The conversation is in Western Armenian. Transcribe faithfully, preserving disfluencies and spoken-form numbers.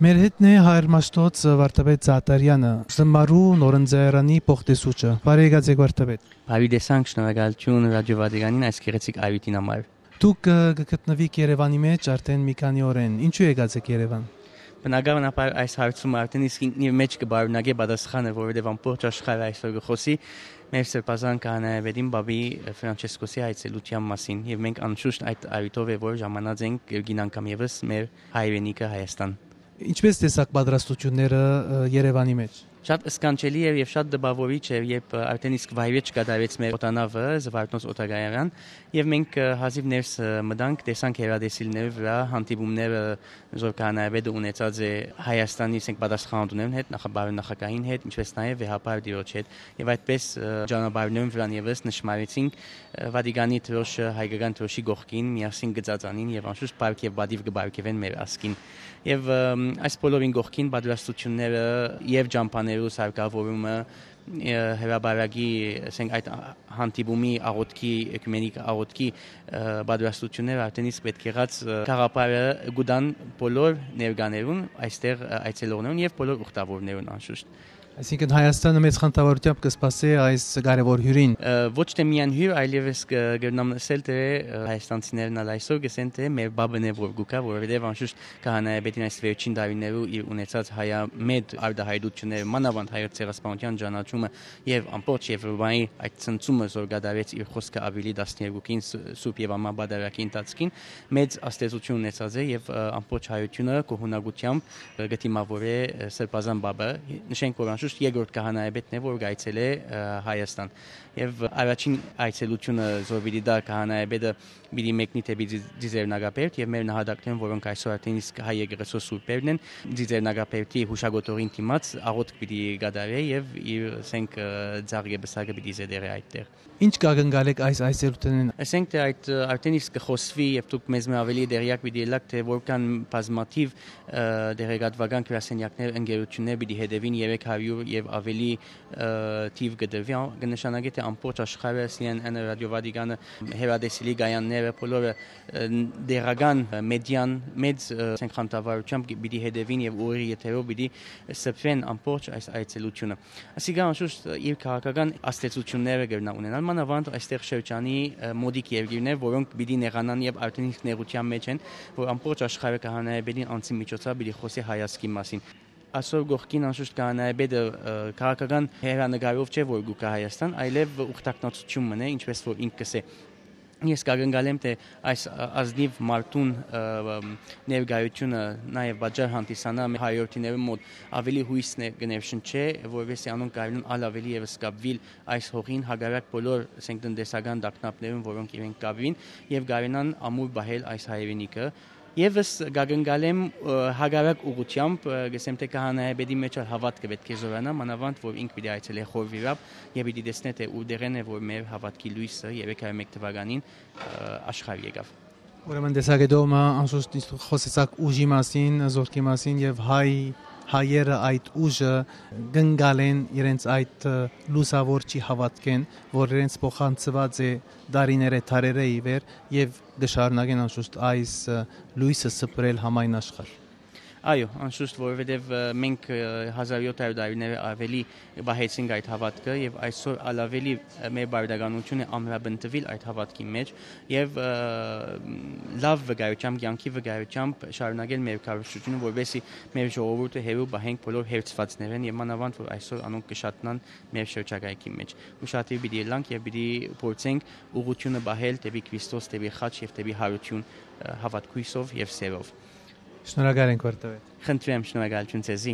Մեր հետ է հայր Մաշտոց Վարդապետ Զատարեանը, Զմարու նորընձայարանի փոխտեսուչը։ Բարի եկած եք, Վարդապետ։ Բարի տեսանք, շնորհակալություն Ռադիո Վատիկանին այս գեղեցիկ այրույթին համար։ Դուք, ը, կը գտնուիք Երևանի մեջ արդեն մի քանի օրէն։ Ինչու եկած եք Երևան։ Բնականաբար այս հարցումը արդեն իսկ ինքնին իր մեջ կբարունակէ պատասխանը, որովհետեւ ամբողջ աշխարհը այսօր կը խօսի մեր սրբազան քահանայապետին պապի Ֆրանչեսկոսի այցելության մասին, եւ մենք անշուշտ այդ առիթով է, որ ժամանած ենք երկին անգամ եւս մեր հայրենիքը Հայաստան։ Ինչպե՞ս տեսաք պատրաստությունները, ը, Երևանի մեջ։ Շատ սքանչելի էր եւ շատ տպաւորիչ էր, երբ, ը, արդեն իսկ վայրէջք կատարեց մեր օդանաւը, Զվարթնոց օդակայան, եւ մենք, ը, հազիւ ներս, ը, մտանք, տեսանք հեռատեսիլներու վրա հանդիպումները, զոր քահանայապետը ունեցած է Հայաստանի, ասենք, պատասխանատուներուն հետ, նախ-, բարենախագահին հետ, ինչպէս նաեւ վեհափառ տիրոջ հետ, եւ այդպես, ը, ճանապարհներուն վրան եւս նշմարեցինք, ը, Վատիկանի դրոշը հայկական դրոշի կողքին միասին կը ծածանին եւ անշուշտ փառք եւ պատիւ կը պարգեւեն մեր ազգին։ Եւ, ը, այս բոլորին կողքին պատրաստությունները եւ ճամբաներու սարքավորումը, ը, հրապարակի, ասենք, այդ հանդիպումի աղոթքի, էկումենիկ աղոթքի, ը, պատրաստությունները արդեն իսկ պետք եղած, ը, գաղափարը կու տան բոլոր ներկաներուն, այստեղ, ը, այցելողներուն եւ բոլոր ուխտավորներուն անշուշտ։ Այսինքն՝ Հայաստանը մեծ խանդավառությամբ կը սպասէ այս կարեւոր հիւրին։ Ը, ոչ թե միայն հիւր, այլեւս կը, կրնամ ըսել, թէ, ը, հայաստանցիներն ալ այսօր կ'ըսեն, թէ մեր պապն է, որ կու գայ, որովհետեւ անշուշտ քահանայապետին այս վերջին տարիներու իր ունեցած հայամետ արտահայտությունները, մանաւանդ հայոց ցեղասպանության ճանաչումը եւ ամբողջ Եվրոպայի այդ ցնցումը, զոր կատարեց իր խոսքը Ապրիլի տասներկուին ս-, Սուրբ Եվամա պատարագի ընթացքին, մեծ ազդեցություն ունեցած է եւ, ը, ամբողջ հայությունը գոհունակությամբ, ը, կը դիմաւորէ, ը, Սրբազան Պապը։ Նշենք, որ անշուշտ երկրորդ քահանայապետն է, որ կայցելէ, ը, Հայաստան։ Եւ առաջին այցելությունը, զոր պիտի տայ քահանայապետը, պիտի մեկնի դէպի Ձի-, Ձիզեռնակաբերդ, եւ մեր նահատակներուն, որոնք այսօր արդեն իսկ հայ եկեղեցւոյ սուրբերն են, Ձիզեռնակաբերդի յուշակոթողին դիմաց աղոթք պիտի կատարէ եւ իր, ասենք, ը, ձագ եւ պսակը պիտի զետեղէ այդտեղ։ Ինչ կ'ակնկալէք այս այցելութենէն։ Ասենք թէ այդ, ը, արդեն իսկ կը խօսուի եւ դուք մեզմէ աւելի տեղեակ պիտի ըլլաք, թէ որքան բազմաթիւ, ը, տեղեկատուական գրասենեակներ, ընկերություններ պիտի հետեւին, երեք հարիւր եւ աւելի, ը, թիւ կը տրուի, ա-, կը նշանակէ թէ ամբողջ աշխարհը, C N N-ը, Ռադիո Վատիկանը, հեռատեսիլի կայանները, բոլորը, ը, տեղական, ը, մեդիան մեծ, ը, ասենք, խանդավառությամբ պիտի հետեւին եւ ուղիղ եթերով պիտի սփռեն ամբողջ այս այցելությունը։ Ասիկա անշուշտ իր քաղաքական ազդեցությունները կրնայ ունենալ, մանաւանդ այստեղ շրջանի, ը, մօտիկ երկիրներ, որոնք պիտի նեղանան եւ արդեն իսկ նեղութեան մէջ են, որ ամբողջ աշխարհը քահանայապետին անձի միջոցով պիտի խօսի հայ ազգի մասին։ Այսօր կողքին անշուշտ քահանայապետը, ը, քաղաքական հեռանկարով չէ, որ կու գայ Հայաստան, այլեւ ուխտակնացութիւն մըն է, ինչպէս որ ինք կ'ըսէ։ Ես կ'ակնկալեմ թէ այս, ը, ազնիւ մարդուն, ը, ը, ներկայությունը նաեւ պատճառ հանդիսանայ մեր հայրենիներուն մօտ, աւելի յոյս ներ-, կը ներշնչէ, որովհետեւ անոնք կարենան ալ աւելի եւս կապուիլ այս հողին, հակառակ բոլոր, ասենք, տնտեսական տագնապներուն, որոնք իրենք կապուին, եւ կարենան ամուր պահել այս հայրենիքը։ Եւս կ'ակնկալեմ, ը, հակառակ ուղղութեամբ, ը, կ'ըսեմ թէ քահանայապետի մէջ ալ հաւատքը պէտք է զօրանայ, մանաւանդ որ ինք պիտի այցելէ խորվիրապ եւ պիտի տեսնէ թէ ուրտեղէն է, որ մեր հաւատքի լոյսը երեք հարիւր մէկ թուականին, ը, աշխարհ եկաւ։ Ուրեմն տեսակետով մը անշուշտ ինչ դուք խօսեցաք ուժի մասին, զորքի մասին, եւ հայ, հայերը այդ ուժը կ'ընկալեն իրենց այդ, ը, լուսաւոր չի հաւատքեն, որ իրենց փոխանցուած է դարիներէ, դարերէ ի վեր, եւ կը շարունակեն անշուշտ այս, ը, լոյսը սփռել համայն աշխարհ։ Այո, անշուշտ, որովհետեւ, ը, մենք, ը, հազար յոթ հարիւր տարիներ աւելի պահեցինք այդ հաւատքը եւ այսօր ալ աւելի, ը, մեր պարտականութիւնն է ամրապնդուիլ այդ հաւատքի մէջ եւ, ը, լաւ վկայութեամբ, կեանքի վկայութեամբ շարունակել մեր քարոզչութիւնը, որպեսզի մեր ժողովուրդը հեռու պահենք բոլոր հերձուածներէն եւ մանաւանդ որ այսօր անոնք կը շատնան մեր շրջակայքի մէջ։ Ուշադիր պիտի ըլլանք եւ պիտի փորձենք ուղղութիւնը պահել դէպի Քրիստոս, դէպի խաչ եւ դէպի յարութիւն, ը, հաւատքոյսով եւ սերով։ Շնորհակալ ենք, Վարդապետ։ Խնդրեմ, շնորհակալություն ձեզի։